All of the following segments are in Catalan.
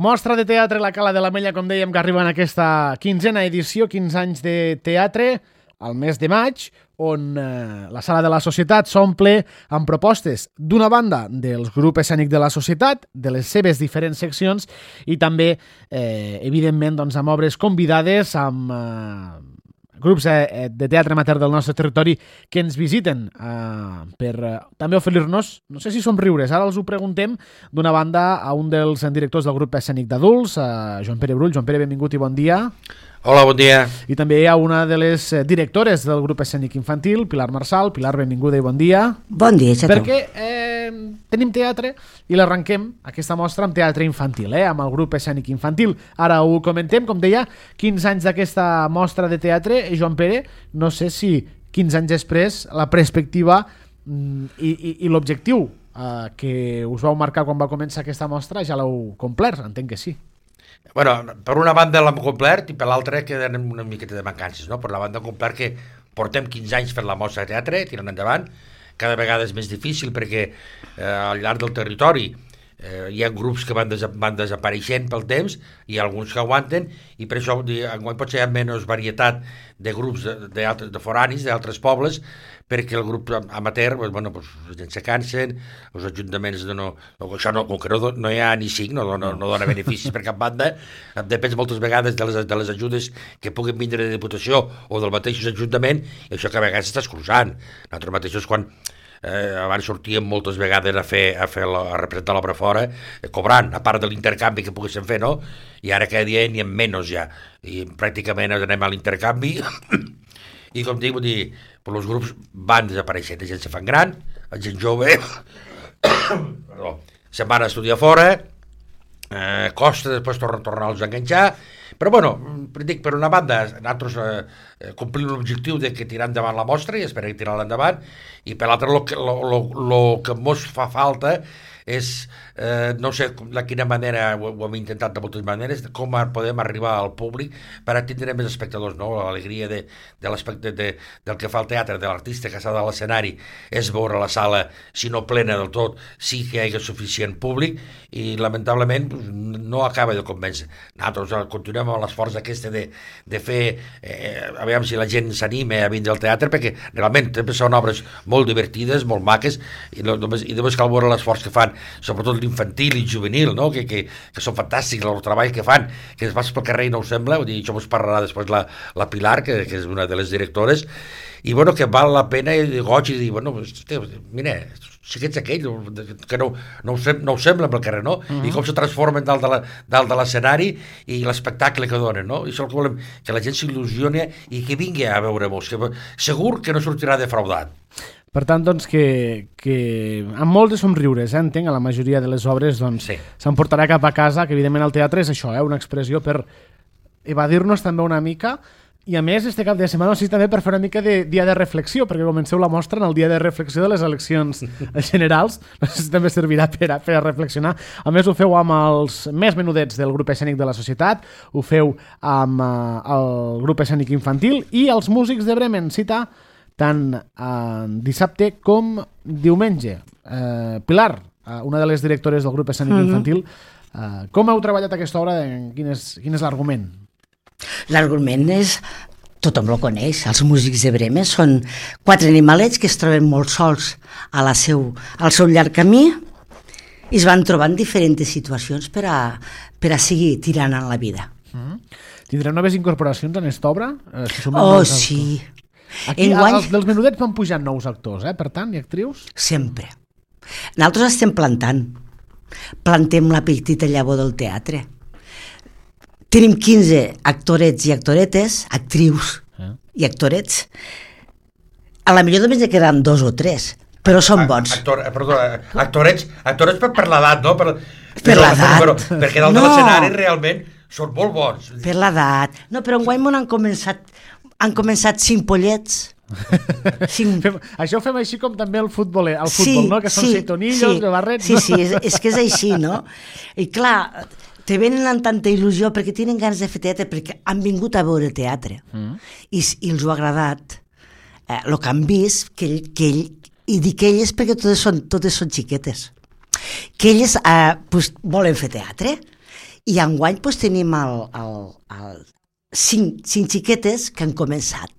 Mostra de teatre La Cala de l'Ametlla, com dèiem, que arriba en aquesta 15a edició, 15 anys de teatre, al mes de maig, on la Sala de la Societat s'omple amb propostes, d'una banda, dels grups escènics de la societat, de les seves diferents seccions, i també, evidentment, doncs, amb obres convidades, amb grups de teatre amateur del nostre territori que ens visiten per també oferir-nos, no sé si somriures, ara els ho preguntem, d'una banda a un dels directors del grup escènic d'adults, Joan Pere Brull. Joan Pere, benvingut i bon dia. Hola, bon dia. I també hi ha una de les directores del grup escènic infantil, Pilar Marsal. Pilar, benvinguda i bon dia. Bon dia, xato. Perquè tenim teatre i l'arrenquem, aquesta mostra, amb teatre infantil, amb el grup escènic infantil. Ara ho comentem, com deia, 15 anys d'aquesta mostra de teatre. Joan Pere, no sé si 15 anys després la perspectiva i l'objectiu que us vau marcar quan va començar aquesta mostra ja l'heu complert, entenc que sí. Bueno, per una banda l'hem complert i per l'altra queden una miqueta de mancances, no? Per la banda complert que portem 15 anys fent la mostra de teatre, tirant endavant, cada vegada és més difícil perquè al llarg del territori hi ha grups que van desapareixent pel temps i alguns que aguanten, i per això enguany potser hi ha menys varietat de grups de foranis, d'altres pobles, perquè el grup amateur, bueno, la gent se cansen, els ajuntaments això no, com que no hi ha ni cinc, no dona beneficis per cap banda, depèn moltes vegades de les ajudes que puguin vindre de Diputació o del mateix Ajuntament, i això que a vegades s'està escurçant. Nosaltres mateixos, quan abans sortíem moltes vegades a representar l'obra fora, cobrant, a part de l'intercanvi que poguéssim fer, no? I ara cada dia n'hi ha menys ja, i pràcticament anem a l'intercanvi i com dic, els grups van desapareixent, la gent se fan gran, la gent jove se'n van a estudiar fora, costa després tornar-los a enganxar, però bueno, dic, per una banda nosaltres complim l'objectiu de que tirar endavant la mostra i esperem tirar-la endavant, i per l'altre el que ens fa falta és, no sé de quina manera, ho hem intentat de moltes maneres, com podem arribar al públic per atendre més espectadors, no? L'alegria del que fa el teatre, de l'artista que està a l'escenari, és veure la sala, si no plena del tot, sí que hi hagi suficient públic, i lamentablement no acaba de convèncer. Nosaltres continuem amb l'esforç aquesta de fer, aviam si la gent s'anima a vindre al teatre, perquè realment també són obres molt divertides, molt maques, i només cal veure l'esforç que fan, sobretot l'infantil i juvenil, no? que són fantàstics el treball que fan, que es vas pel carrer i no ho sembla, això us parlarà després la Pilar, que és una de les directores, i bueno, que val la pena i goig i dir, bueno, mira, si ets aquell que no ho sembla pel carrer, no? I com se transformen dalt de l'escenari i l'espectacle que donen, no? I això que volem, que la gent s'il·lusioni i que vingui a veure-mos, que segur que no sortirà defraudat. Per tant, doncs, que amb molts de somriures, entenc, a la majoria de les obres, doncs, s'emportarà cap a casa, que evidentment el teatre és això, una expressió per evadir-nos també una mica, i a més, este cap de setmana, sí, també per fer una mica de dia de reflexió, perquè comenceu la mostra en el dia de reflexió de les eleccions generals, no sé si també servirà per a reflexionar. A més, ho feu amb els més menudets del grup escènic de la societat, ho feu amb el grup escènic infantil i els músics de Bremen, cita tant dissabte com diumenge. Pilar, una de les directores del grup escènic infantil, com heu treballat aquesta obra? Quin és l'argument? L'argument és, tothom lo coneix, els músics de Bremen són 4 animalets que es troben molt sols al seu llarg camí i es van trobant diferents situacions per a seguir tirant en la vida. Tindrem noves incorporacions en aquesta obra? Sí. Aquí, els dels menudets van pujant nous actors, per tant, i actrius? Sempre. Nosaltres estem plantem la petita llavor del teatre. Tenim 15 actorets i actoretes, actrius i actorets. A la millor només ne quedaran 2 o 3, però són bons. Actorets per l'edat, no? Per l'edat. Perquè dalt de l'escenari realment són molt bons. Per l'edat. No, però enguany han començat 5 pollets. Això ho fem així com també el futbol, no? Que són setonillos, de barrets. Sí, és que és així, no? I clar, te venen amb tanta il·lusió perquè tenen ganes de fer teatre, perquè han vingut a veure teatre i els ho ha agradat el que han vist, i dic elles perquè totes són xiquetes, que elles volen fer teatre I enguany tenim cinc xiquetes que han començat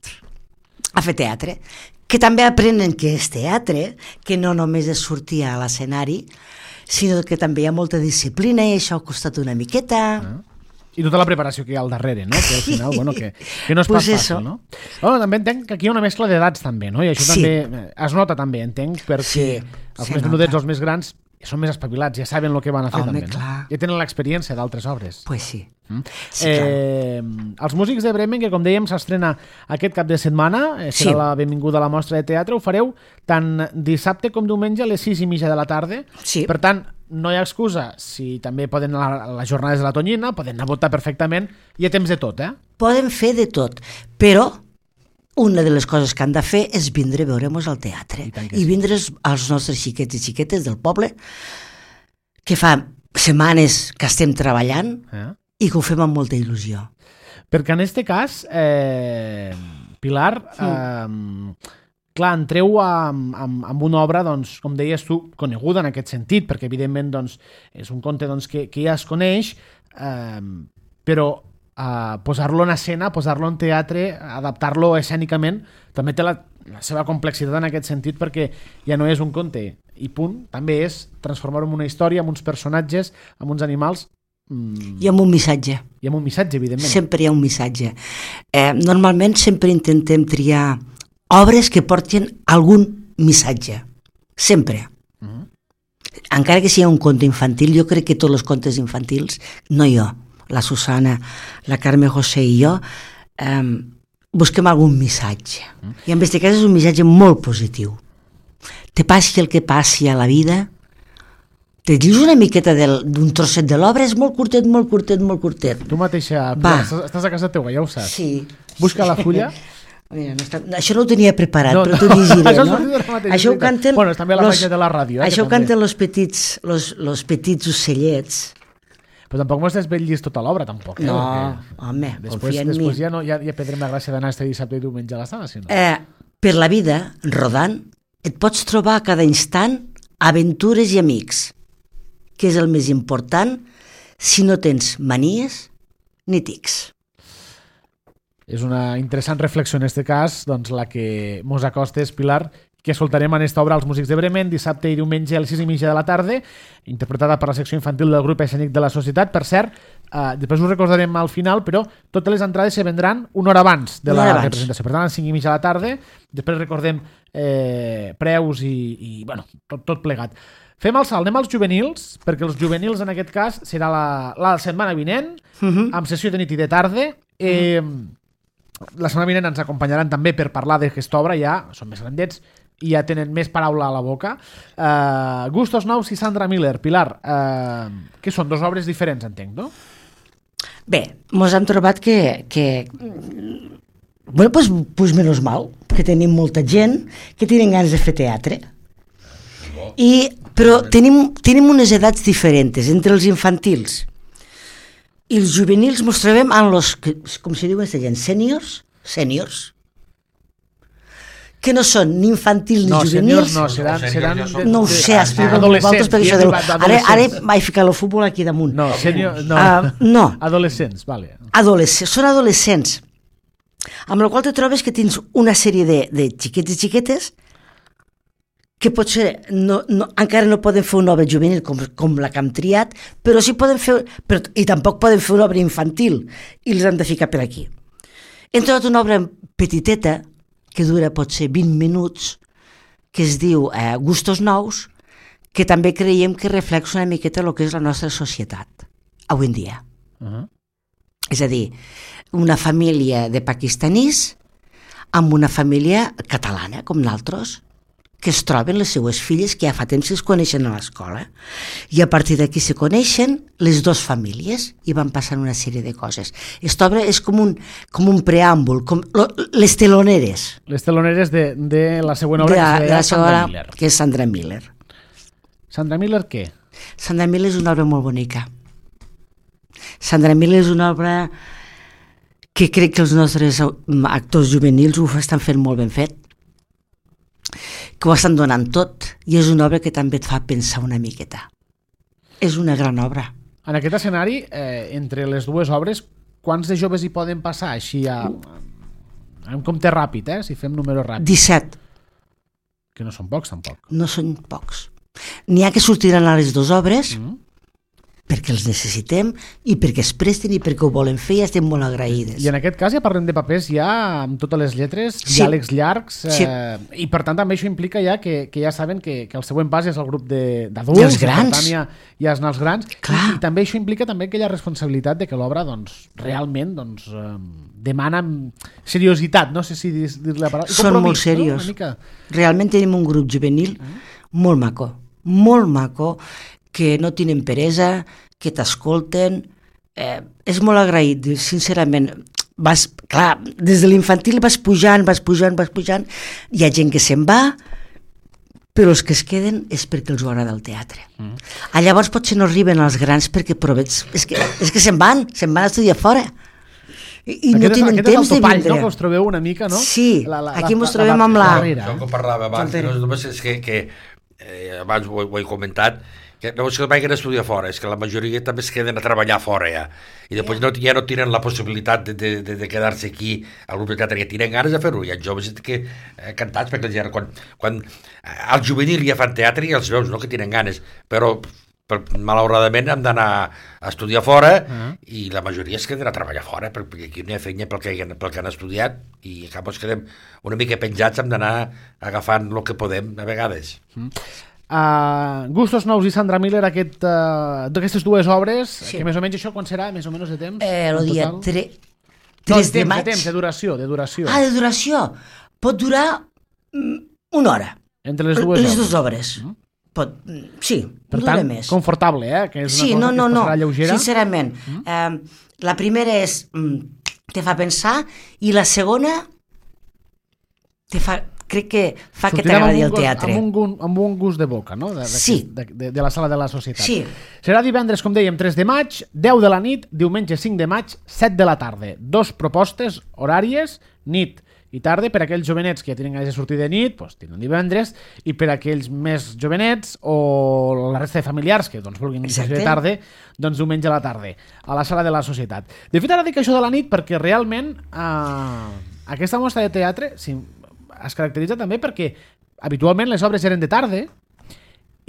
a fer teatre, que també aprenen què és teatre, que no només és sortir a l'escenari, sinó que també hi ha molta disciplina i això ha costat una miqueta. I tota la preparació que hi ha al darrere, no? Que al final, bueno, que no és pas fàcil, no? Bueno, també entenc que aquí hi ha una mescla d'edats també, no? I això també es nota també, entenc, perquè els més menudets, els més grans, són més espavilats, ja saben el que van a fer també, no? Ja tenen l'experiència d'altres obres. Pues sí. Els músics de Bremen, que com dèiem s'estrena aquest cap de setmana, serà la benvinguda a la mostra de teatre, ho fareu tant dissabte com diumenge a les 6:30 de la tarda. Per tant, no hi ha excusa, si també poden anar a les jornades de la Tonyina, poden anar a votar perfectament, hi ha temps de tot, Poden fer de tot, però una de les coses que han de fer és vindre a veure'ns al teatre i vindre als nostres xiquets i xiquetes del poble, que fa setmanes que estem treballant i que ho fem amb molta il·lusió. Perquè en aquest cas, Pilar, clar, entreu amb una obra, doncs, com deies tu, coneguda en aquest sentit, perquè evidentment doncs, és un conte doncs, que ja es coneix, però posar-lo en escena, posar-lo en teatre, adaptar-lo escènicament, també té la seva complexitat en aquest sentit, perquè ja no és un conte i punt, també és transformar-ho en una història, amb uns personatges, amb uns animals. I amb un missatge. I amb un missatge, evidentment. Sempre hi ha un missatge. Normalment sempre intentem triar obres que portin algun missatge. Sempre. Encara que sigui un conte infantil, jo crec que tots els contes infantils, no jo, la Susana, la Carme José i jo, busquem algun missatge. I en aquest cas és un missatge molt positiu. Te passi el que passi a la vida, te dius una miqueta d'un trosset de l'obra, és molt curtet, molt curtet, molt curtet. Tu mateixa, estàs a casa teva, ja ho saps. Sí. Busca la fulla. Mira, això no ho tenia preparat, però t'ho llegiré, no? Això ho canten... Bueno, també la pàgina de la ràdio. Això ho canten els petits ocellets. Però tampoc m'has desvetllit tota l'obra, tampoc. No, home, confia en mi. Després ja perdrem la gràcia d'anar este dissabte i diumenge a la sala, si no. Per la vida, rodant, et pots trobar a cada instant aventures i amics, que és el més important si no tens manies ni tics. És una interessant reflexió en aquest cas, doncs la que mos acostes, Pilar, que escoltarem en esta obra als músics de Bremen dissabte i diumenge a les 6:30 de la tarda, interpretada per la secció infantil del grup escènic de la Societat. Per cert, després ho recordarem al final, però totes les entrades se vendran una hora abans de la representació. Per tant, a les 5:30 de la tarda, després recordem preus i bueno, tot plegat. Fem el salt, anem als juvenils, perquè els juvenils en aquest cas serà la setmana vinent, amb sessió de nit i de tarda. La setmana vinent ens acompanyaran també per parlar d'aquesta obra, ja són més grandets i ja tenen més paraula a la boca. Gustos Nous i Sandra Miller. Pilar, que són dues obres diferents, entenc, no? Bé, mos hem trobat que bueno, pues menos mal, que tenim molta gent que tenen ganes de fer teatre. Però tenim unes edats diferents entre els infantils i els juvenils. Mos trobem amb els, com se diuen aquesta gent, sèniors, que no són ni infantils ni juvenils. No, seran... No ho sé, explico vosaltres, perquè això ara vaig ficar el futbol aquí damunt. No, adolescents, vale. Són adolescents, amb la qual te trobes que tens una sèrie de xiquets i xiquetes que potser encara no poden fer una obra juvenil com la que hem triat, però sí poden fer, i tampoc poden fer una obra infantil, i els hem de ficar per aquí. Hem trobat una obra petiteta, que dura potser 20 minuts, que es diu Gustos Nous, que també creiem que reflexa una miqueta el que és la nostra societat, avui en dia. És a dir, una família de pakistanís amb una família catalana, com nosaltres, que es troben les seues filles, que ja fa temps que es coneixen a l'escola, i a partir d'aquí se coneixen les dues famílies i van passant una sèrie de coses. Aquesta obra és com un preàmbul, com les teloneres. Les teloneres de la següent obra, que és Sandra Miller. Que és Sandra Miller. Sandra Miller què? Sandra Miller és una obra molt bonica. Sandra Miller és una obra que crec que els nostres actors juvenils ho estan fent molt ben fet, que ho estan donant tot, i és una obra que també et fa pensar una miqueta. És una gran obra. En aquest escenari, entre les dues obres, quants de joves hi poden passar així en compte ràpid, si fem números ràpids? 17. Que no són pocs, tampoc. No són pocs. N'hi ha que sortiran a les dues obres perquè els necessitem i perquè es presten i perquè ho volen fer i estem molt agraïdes. I en aquest cas ja parlem de papers ja amb totes les lletres, diàlegs llargs, i per tant també això implica ja que ja saben que el següent pas és el grup d'adults, i els grans. Per tant ja és els grans, i també això implica també aquella responsabilitat de que l'obra realment demana seriositat, no sé si dir la paraula. Són molt serios. No? Realment tenim un grup juvenil molt maco, que no tenen peresa, que t'escolten. És molt agraït, sincerament. Clar, des de l'infantil vas pujant, hi ha gent que se'n va, però els que es queden és perquè els agrada el teatre. Llavors potser no arriben als grans perquè és que se'n van a estudiar fora. I no tenen temps de vindre. No? Que us trobeu una mica, no? Sí, aquí ens trobem amb la... Això que parlava abans, només és que abans ho he comentat, que no és que vagin a estudiar fora, és que la majoria també es queden a treballar fora ja, i després ja no tenen la possibilitat de quedar-se aquí al grup de teatre, ja tenen ganes de fer-ho. Hi ha joves que cantats, perquè quan al juvenil ja fan teatre i els veus que tenen ganes, però malauradament hem d'anar a estudiar fora i la majoria es queden a treballar fora perquè aquí no hi ha feina pel que han estudiat i a cap es quedem una mica penjats, hem d'anar agafant el que podem a vegades. Gustos Nous i Sandra Miller, d'aquestes dues obres, que més o menys això quan serà, més o menys de temps? El dia 3 de maig. De duració. De duració. Pot durar una hora. Entre les dues obres. Sí, per tant, més. Confortable, que és una cosa que es passarà lleugera. Sincerament. La primera és te fa pensar i la segona crec que fa que t'agradi el teatre. Amb un gust de boca, no? De la sala de la societat. Sí. Serà divendres, com dèiem, 3 de maig, 10 de la nit, diumenge 5 de maig, 7 de la tarda. 2 propostes horàries, nit i tarda, per aquells jovenets que ja tenen ganes de sortir de nit, doncs tenen divendres, i per aquells més jovenets o la resta de familiars que vulguin sortir de tarda, doncs diumenge a la tarda, a la sala de la societat. De fet, ara dic això de la nit perquè realment aquesta mostra de teatre es caracteritza també perquè habitualment les obres eren de tarda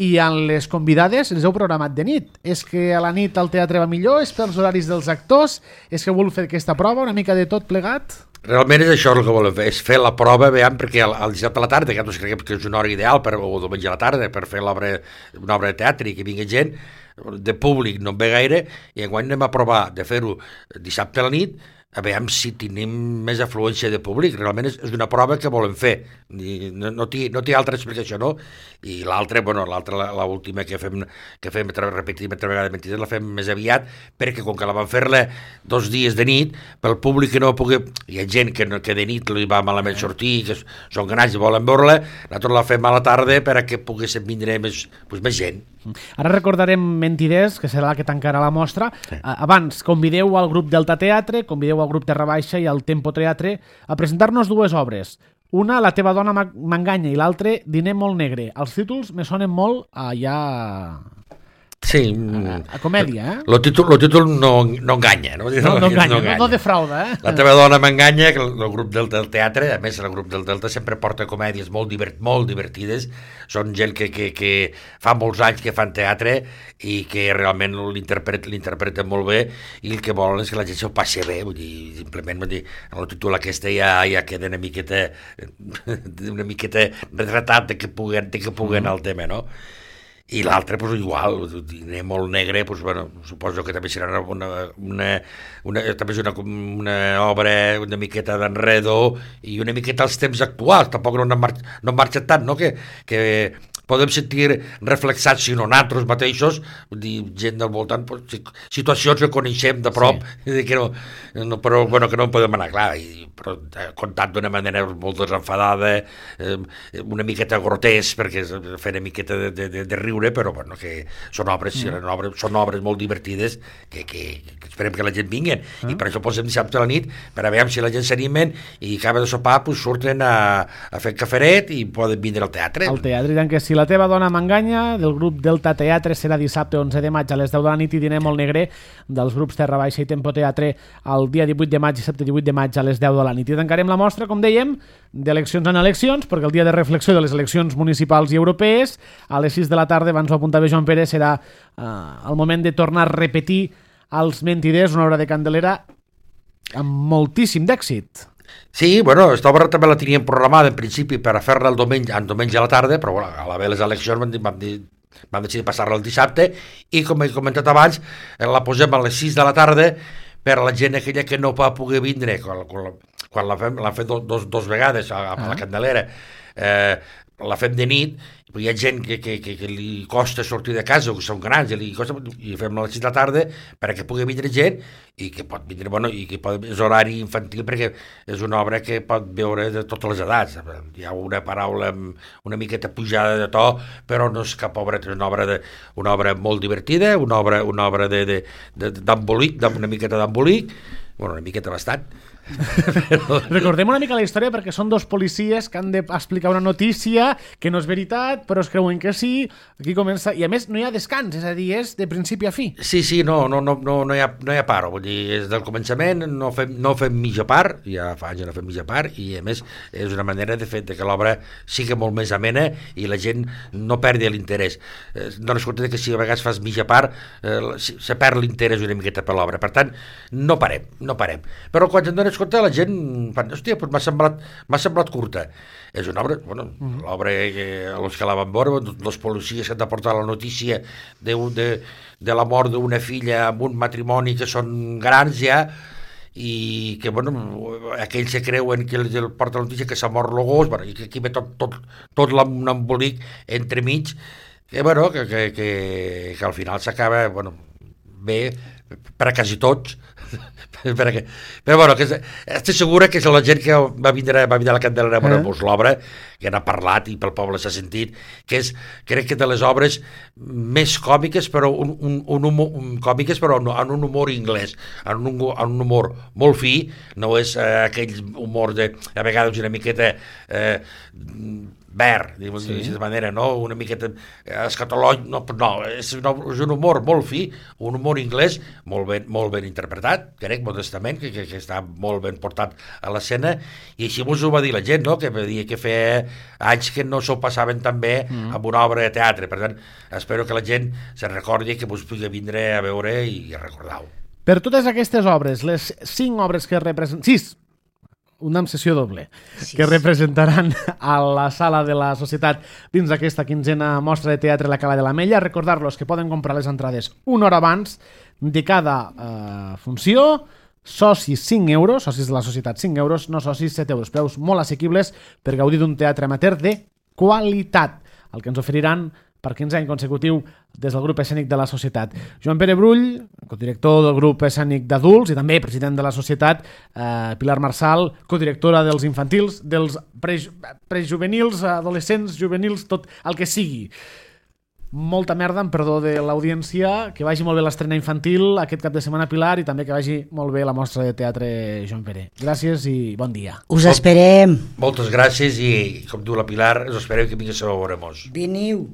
i en les convidades les heu programat de nit. És que a la nit el teatre va millor? És pels horaris dels actors? És que vol fer aquesta prova, una mica de tot plegat? Realment és això el que volem fer, és fer la prova, veiem, perquè al dissabte a la tarda, que nosaltres creiem que és una hora ideal, o diumenge a la tarda, per fer una obra de teatre i que vingui gent, de públic no en ve gaire, i enguany anem a provar de fer-ho dissabte a la nit, a veure si tenim més afluència de públic. Realment és una prova que volem fer, no té altra explicació, no? I l'altra, l'última que fem repetim altra vegada mentides, la fem més aviat, perquè com que la vam fer-la 2 dies de nit, pel públic que no pugui... Hi ha gent que de nit li va malament sortir, que són ganats i volen veure-la, nosaltres la fem a la tarda perquè poguéssim vindre més gent. Ara recordarem Mentiders, que serà la que tancarà la mostra. Abans, convideu al grup Delta Teatre, convideu al grup Terra Baixa i al Tempo Teatre a presentar-nos 2 obres. Una, La teva dona m'enganya, i l'altra, Diner molt negre. Els títols me sonen molt ja... Sí. A comèdia, El títol no enganya, no? No enganya, no defrauda, La teva dona m'enganya, que el grup del teatre, a més el grup del Delta sempre porta comèdies molt divertides, són gent que fa molts anys que fan teatre i que realment l'interpreten molt bé i el que volen és que la gent s'ho passi bé, vull dir, simplement el títol aquesta ja queda una miqueta retratat de que puguen al tema, no? I l'altre, igual, Diner molt negre, suposo que també serà una obra una miqueta d'enredo i una miqueta als temps actuals, tampoc no han marxat tant, no? Que podem sentir reflexats, si no nosaltres mateixos, gent del voltant, situacions que coneixem de prop, però que no en podem anar, clar, però contat d'una manera molt desenfadada, una miqueta grotesc, perquè fer una miqueta de riure, però que són obres molt divertides que esperem que la gent vinguin, i per això posem dissabte a la nit, per a veure si la gent s'animen i acaba de sopar, surten a fer caferet i poden vindre al teatre. Al teatre, i tant que sí. la teva dona m'enganya, del grup Delta Teatre, serà dissabte 11 de maig a les 10 de la nit, i Dinem el Negre dels grups Terra Baixa i Tempo Teatre el dia 18 de maig i dissabte 18 de maig a les 10 de la nit. I tancarem la mostra, com dèiem, d'eleccions en eleccions, perquè el dia de reflexió de les eleccions municipals i europees, a les 6 de la tarda, abans ho apuntava Joan Pere, serà el moment de tornar a repetir Els mentiders, una obra de Candelera amb moltíssim d'èxit. Sí, bueno, aquesta obra també la teníem programada en principi per a fer-la el diumenge a la tarda, però bueno, a l'haver les eleccions vam decidir passar-la el dissabte, i com he comentat abans, la posem a les 6 de la tarda per a la gent aquella que no va poder vindre quan l'han fet dos vegades a la Candelera. La fem de nit, hi ha gent que li costa sortir de casa, o que són grans, i fem a les 6 de la tarda perquè pugui vindre gent, i que pot vindre, bueno, i que és horari infantil, perquè és una obra que pot veure de totes les edats. Hi ha una paraula una miqueta pujada de to, però no és cap obra, és una obra molt divertida, una obra d'embolic, una miqueta d'embolic, bueno, una miqueta bastant. Recordem una mica la història, perquè són dos policies que han d'explicar una notícia que no és veritat, però es creuen que sí. Aquí comença, i a més no hi ha descans, és a dir, és de principi a fi. Sí, no hi ha paro, vull dir, és del començament, no fem mitja part, ja fa anys no fem mitja part, i a més és una manera de fer que l'obra sigui molt més amena i la gent no perdi l'interès. Dones compte que si a vegades fas mitja part se perd l'interès una miqueta per l'obra, per tant no parem, però quan ens dones compte la gent fa, hòstia, m'ha semblat curta. És una obra, bueno, l'obra els que la van veure, dos policies que han de portar la notícia de la mort d'una filla amb un matrimoni que són grans ja, i que, bueno, aquells que creuen que el porta la notícia que s'ha mort el gos, bueno, i que aquí ve tot l'embolic entremig, que, bueno, que al final s'acaba, bueno, bé per a quasi tots, però bueno, estic segura que és la gent que va vindre a la Candelera a veure l'obra, que n'ha parlat i pel poble s'ha sentit, que és, crec que de les obres més còmiques, però còmiques, però en un humor anglès, en un humor molt fi, no és aquell humor de, a vegades una miqueta verd, d'aquesta manera, no? Una miqueta escatològic, no, és un humor molt fi, un humor anglès molt ben interpretat, crec, modestament, que està molt ben portat a l'escena, i així us ho va dir la gent, no? Que feia anys que no s'ho passaven tan bé amb una obra de teatre. Per tant, espero que la gent se recordi, que us pugui vindre a veure i a recordar-ho. Per totes aquestes obres, les 5 obres que representen... 6! Una sessió doble, que representaran a la sala de la Societat dins d'aquesta 15a mostra de teatre La Cala de l'Ametlla. Recordar-los que poden comprar les entrades una hora abans de cada funció. Socis 5 euros, socis de la Societat 5 euros, no socis 7 euros. Preus molt assequibles per gaudir d'un teatre amateur de qualitat, el que ens oferiran per 15 anys consecutiu des del grup escènic de la Societat. Joan Pere Brull, codirector del grup escènic d'adults i també president de la Societat, Pilar Marsal, codirectora dels infantils, dels prejuvenils, adolescents, juvenils, tot el que sigui. Molta merda, amb perdó de l'audiència, que vagi molt bé l'estrena infantil aquest cap de setmana, Pilar, i també que vagi molt bé la mostra de teatre Joan Pere. Gràcies i bon dia. Us esperem. Moltes gràcies i, com diu la Pilar, us esperem que vingueu a veure-mos. Veniu.